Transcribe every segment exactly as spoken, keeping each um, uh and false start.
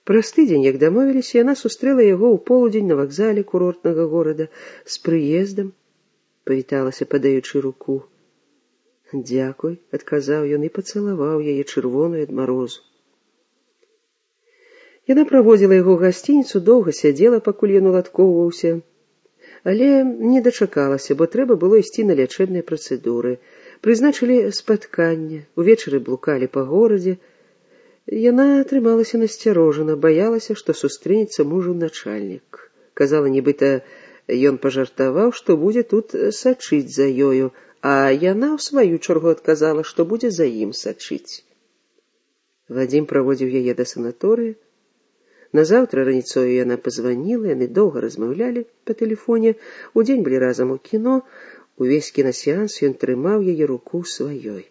Праз тыдзень, як дамовіліся, яна сустрэла яго ў полудзень на вакзале курортнага горада. З прыездам, павіталася, падаючы руку. «Дзякуй», — адказаў ён і пацалаваў яе чырвоную ад марозу. Яна праводзіла яго ў гасцініцу, доўга сядзела, пакуль ён уладкоўваўся, але не дачакалася, бо трэба было ісці на лячэбныя працэдуры. Прызначылі спатканне, увечары блукалі па горадзе. Яна трымалася насцярожана, баялася, што сустрэнецца мужу начальнік. Казала, нібыта ён пажартаваў, што будзе тут сачыць за ёю, а яна ў сваю чаргу адказала, што будзе за ім сачыць. Вадзім праводзіў яе да санаторыя. Назаўтра раніцою яна пазваніла, яны доўга размаўлялі па тэлефоне, удзень былі разам у кіно, увесь кінасеанс ён трымаў яе руку сваёй.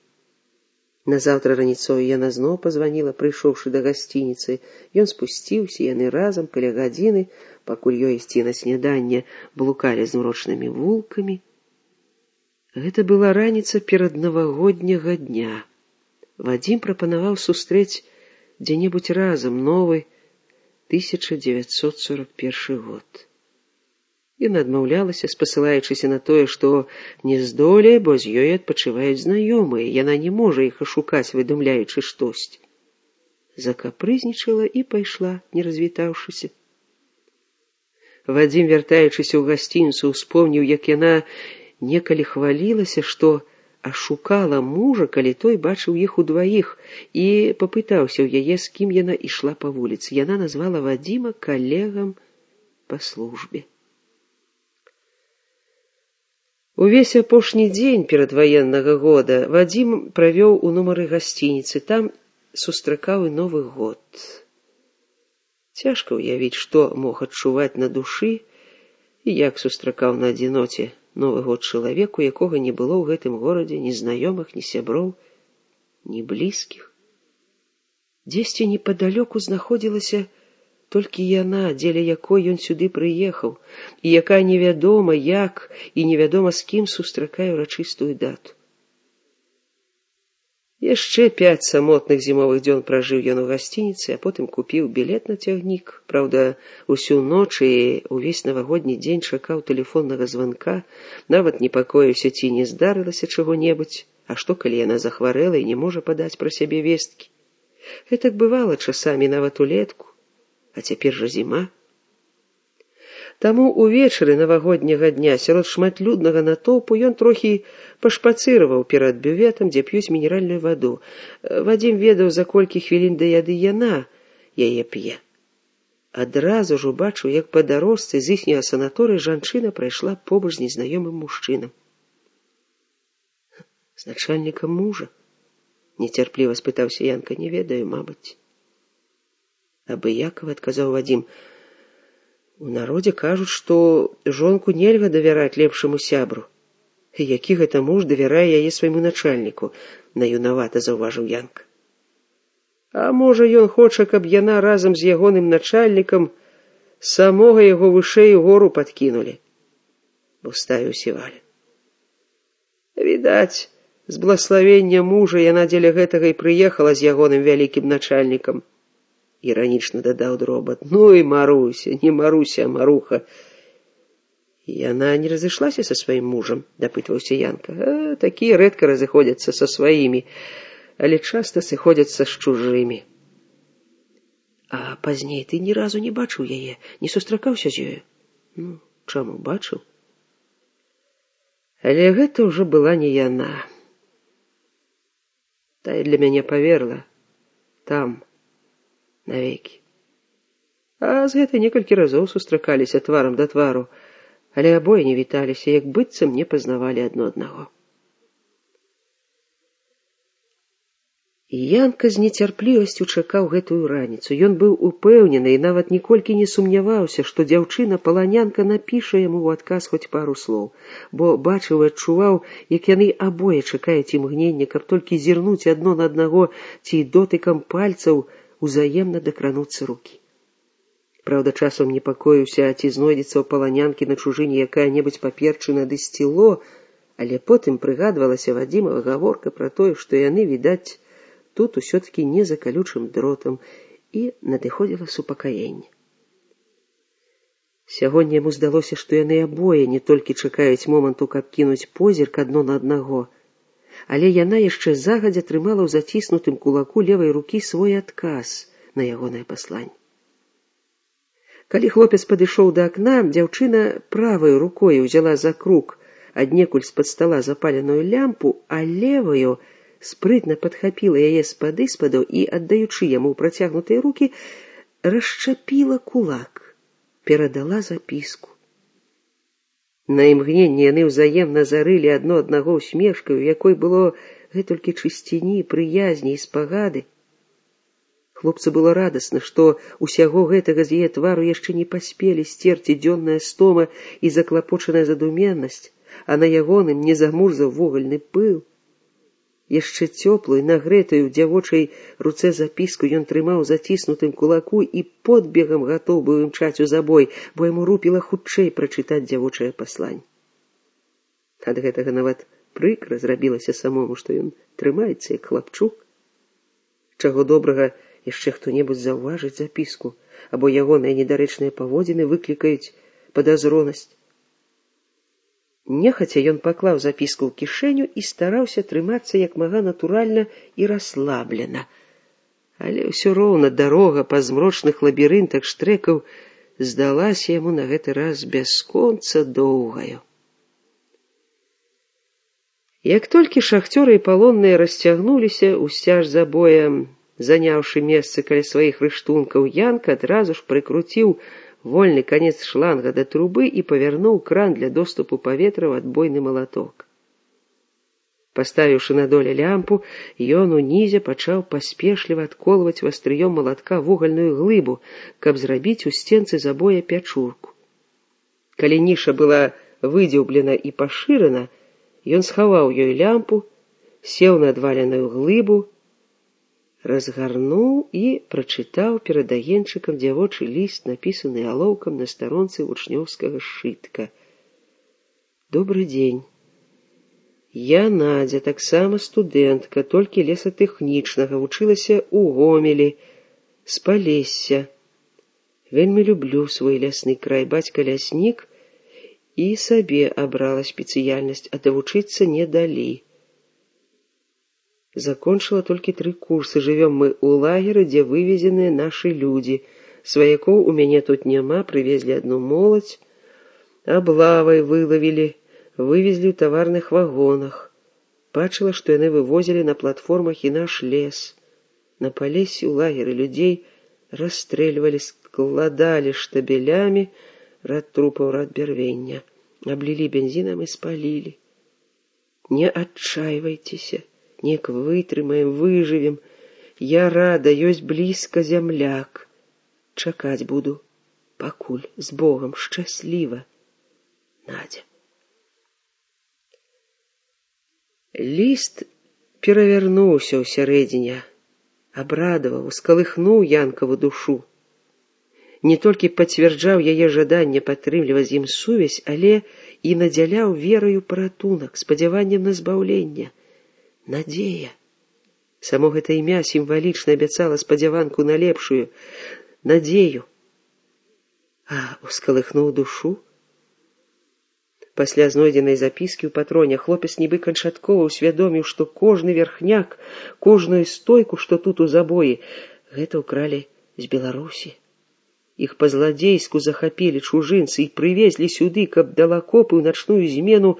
Назаўтра раніцою яна зноў пазваніла, прыйшоўшы да гасцініцы. Ён спусціўся, яны разам каля гадзіны, пакуль ёй ісці на сняданне, блукалі змрочнымі вулкамі. Гэта была раніца перад навагодняга дня. Вадзім прапанаваў сустрэць дзе-небудзь разам новы тысяча дзевяцьсот сорок першы год. Яна адмаўлялася, спасылаючыся на тое, што не здолее, бо з ёй адпачываюць знаёмыя, яна не можа іх ашукаць, выдумляючы штосьці. Закапрызнічала і пайшла, не развітаўшыся. Вадзім, вяртаючыся ў гасцініцу, успомніў, як яна некалі хвалілася, што ашукала мужа, калі той бачыў іх удваіх, і папытаўся ў яе, з кім яна ішла па вуліцы. Яна назвала Вадзіма калегам па службе. Увесь апошні дзень перадваеннага года Вадзім правёў у нумары гасцініцы, там сустракаў і Новы год. Цяжка ўявіць, што мог адчуваць на душы і як сустракаў на адзіноце Новы год чалавеку, якога не было ў гэтым горадзе ні знаёмых, ні сяброў, ні блізкіх. Дзесьці непадалёку знаходзілася толькі яна, дзеля якой ён сюды прыехаў, і якая невядома як і невядома з кім сустракае ўрачыстую дату. Яшчэ пяць самотных зімовых дзён пражыў ён у гасцініцы, а потым купіў білет на цягнік. Праўда, усю ноч і ўвесь навагодні дзень чакаў тэлефоннага званка, нават непакоіўся, ці не здарылася чаго-небудзь, а што, калі яна захварэла і не можа падаць пра сябе весткі. Гэтак бывала часамі нават улетку, а цяпер жа зіма. Таму увечары навагодняга дня сярод шматлюднага натоўпу ён трохі пашпацыраваў перад бюветам, дзе п'юць мінеральную ваду. Вадзім ведаў, за колькі хвілін да яды яна яе п'е. Адразу ж убачыў, як па дарожцы з іхняга санаторыя жанчына прайшла побач з незнаёмым мужчынам. З начальнікам мужа? Нецярпліва спытаўся Янка. Не ведаю, мабыць. Абыякава, адказаў Вадзім. У народзе кажуць, што жонку нельга давяраць лепшаму сябру. Які гэта муж давярае яе свайму начальніку, наюнавата заўважыў Янка. А можа, ён хоча, каб яна разам з ягоным начальнікам самога яго вышэй у гору падкінулі, уставіў Сіваля. Відаць, з блаславення мужа яна дзеля гэтага і прыехала з ягоным вялікім начальнікам. Іранічна дадаў Дробат. Ну і Маруся, не Маруся, а Маруха. Яна не разышлася са сваім мужам, дапытваўся Янка. А, такія рэдка разыходзяцца са сваімі, але часта сыходзяцца з чужымі. А пазней ты ні разу не бачыў яе, не сустракаўся з ёю? Ну, чаму, бачыў? Але гэта ўжо была не яна. Тая для мяне паверла. Там, навекі. А з гэтай некалькі разоў сустракаліся тварам да твару, але абое не віталіся, як быццам не пазнавалі адно аднаго. Янка з нецярплівасцю чакаў гэтую раніцу. Ён быў упэўнены і нават ніколькі не сумняваўся, што дзяўчына-паланянка напіша яму ў адказ хоць пару слоў, бо бачыў і адчуваў, як яны абое чакаюць імгнення, каб толькі зірнуць адно на аднаго ці дотыкам пальцаў узаемна дакрануцца рукі. Праўда, часам непакоіўся, ці знойдзецца ў паланянкі на чужыне якая-небудзь паперчына ды сціло, але потым прыгадвалася Вадзімава гаворка пра тое, што яны, відаць, тут усё-такі не за калючым дротам, і надыходзіла супакаенне. Сягоння яму здалося, што яны абое не толькі чакаюць моманту, каб кінуць позірк адно на аднаго, але яна яшчэ загадзя трымала ў заціснутым кулаку левай рукі свой адказ на ягонае пасланне. Калі хлопец падышоў да акна, дзяўчына правай рукой узяла за круг аднекуль з-пад стала запаленую лямпу, а леваю спрытна падхапіла яе з-пад іспаду і, аддаючы яму ў працягнутыя рукі, расчапіла кулак, перадала запіску. На імгненне яны ўзаемна зарылі адно аднаго усмешкаю, у якой было гэтулькі чысціні, прыязні і спагады. Хлопцу было радасна, што усяго гэтага з яе твару яшчэ не паспелі сцерці дзённая стома і заклапочаная задуменнасць, а на ягоным не замурзаў вугальны пыл. Яшчэ цёплую, нагрэтую ў дзявочай руцэ запіску ён трымаў заціснутым кулаку і подбегам гатоў быў імчаць у забой, бо яму рупіла хутчэй прачытаць дзявочае пасланне. Ад гэтага нават прыкра зрабілася самому, што ён трымаецца як хлапчук. Чаго добрага, яшчэ хто-небудзь заўважыць запіску, або ягоныя недарэчныя паводзіны выклікаюць падазронасць. Нехаця ён паклаў запіску ў кішэню і стараўся трымацца як мага натуральна і расслаблена. Але ўсё роўна дарога па змрочных лабірынтах штрэкаў здалася яму на гэты раз бясконца доўгаю. Як толькі шахцёры і палонныя расцягнуліся ў сцяж забоя, заняўшы месцы каля сваіх рыштункаў, Янка адразу ж прыкруціў вольны канец шланга да трубы і павярнуў кран для доступу паветра ў адбойны малаток. Паставіўшы на доле лямпу, ён унізе пачаў паспешліва адколваць вастрыём малатка вугальную глыбу, каб зрабіць у сценцы забоя пячурку. Калі ніша была выдзеўблена і пашырана, ён схаваў ёй лямпу, сеў на адваленую глыбу, разгарнуў і прачытаў перад агеньчыкам дзявочы ліст, напісаны алоўкам на старонцы вучнёўскага сшытка. Добры дзень. Я Надзя, таксама студэнтка, толькі лесатэхнічнага, вучылася ў Гомелі, з Палесся. Вельмі люблю свой лясны край, бацька ляснік, і сабе абрала спецыяльнасць, а давучыцца не далі. Закончыла толькі тры курсы, жывём мы ў лагеры, дзе вывезеныя нашы людзі. Сваякоў у мяне тут няма, прывезлі адну моладзь, аблавай вылавілі, вывезлі ў таварных вагонах. Бачыла, што яны вывозілі на платформах і наш лес. На Палесі ў лагеры людзей расстрэльвалі, складалі штабелямі, рад трупаў, рад бярвення, аблілі бензінам і спалілі. Не адчайвайцеся, неяк вытрымаем, выжывем. Я рада, ёсць блізка зямляк. Чакаць буду, пакуль, з Богам, шчасліва. Надзя. Ліст перавярнуўся ўсярэдзіне, абрадаваў, ускалыхнуў Янкаву душу. Не толькі пацвярджаў яе жаданне падтрымліваць з ім сувязь, але і надзяляў вераю паратунак, спадзяваннем на збаўленне. Надзея. Само гэта імя сімвалічна абяцала спадзяванку на лепшую надзею. А ускалыхнуў душу? Пасля знойдзенай запіскі ў патроне хлопец нібы канчаткова ўсвядоміў, што кожны верхняк, кожную стойку, што тут у забоі, гэта ўкралі з Беларусі. Іх па-зладзейску захапілі чужынцы і прывезлі сюды, каб дала копы ў начную змену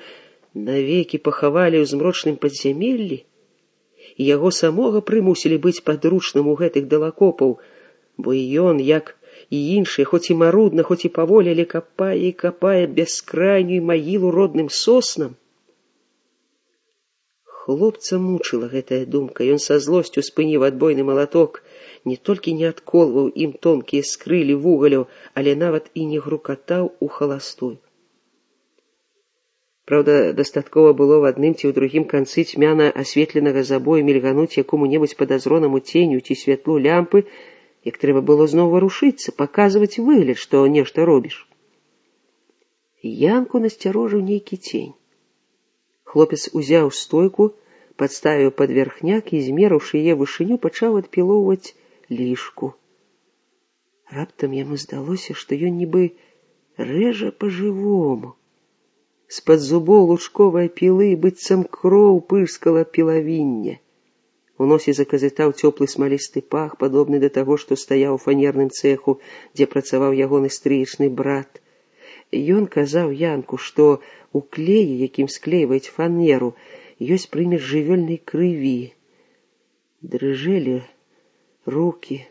навекі пахавалі ў змрочным падзямеллі, і яго самога прымусілі быць падручным у гэтых далакопаў, бо і ён, як і іншыя, хоць і марудна, хоць і паволі, але капае і капае бяскрайнюю магілу родным соснам. Хлопца мучыла гэтая думка, ён са злосцю спыніў адбойны малаток, не толькі не адколваў ім тонкія скрылі вугалю, але нават і не грукатаў у халастую. Праўда, дастаткова было в адным ці ў другім канцы цьмяна асветленага забою мільгануць якому-небудзь падазронаму ценю ці святлу лямпы, як трэба было зноў варушыцца, паказваць выгляд, што нешта робіш. Янку насцярожыў нейкі цень. Хлопец узяў стойку, падставіў пад верхняк і, змерыўшы яе вышыню, пачаў адпілоўваць лішку. Раптам яму здалося, што ён нібы рэжа па-жывому. З-пад зубоў лучковай пілы быццам кроў пырскала пілавінне. У носе заказытаў цёплы смалісты пах, падобны да таго, што стаяў у фанерным цэху, дзе працаваў ягоны стрыечны брат. Ён казаў Янку, што у клеі, якім склейваюць фанеру, ёсць прымесь жывёльнай крыві. Дрыжэлі рукі.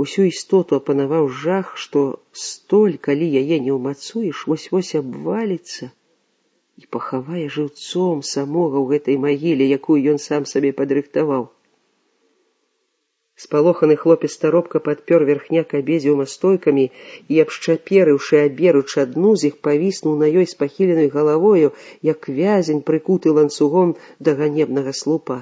Усю істоту апанаваў жах, што столь, калі яе не ўмацуеш, вось-вось абваліцца і пахавае жыўцом самога ў гэтай магіле, якую ён сам сабе падрыхтаваў. Спалоханы хлопец таропка падпёр верхняк абедзвюма стойкамі і, абшчаперыўшы аберуч адну з іх, павіснуў на ёй з пахіленай галавою, як вязень, прыкуты ланцугом да ганебнага слупа.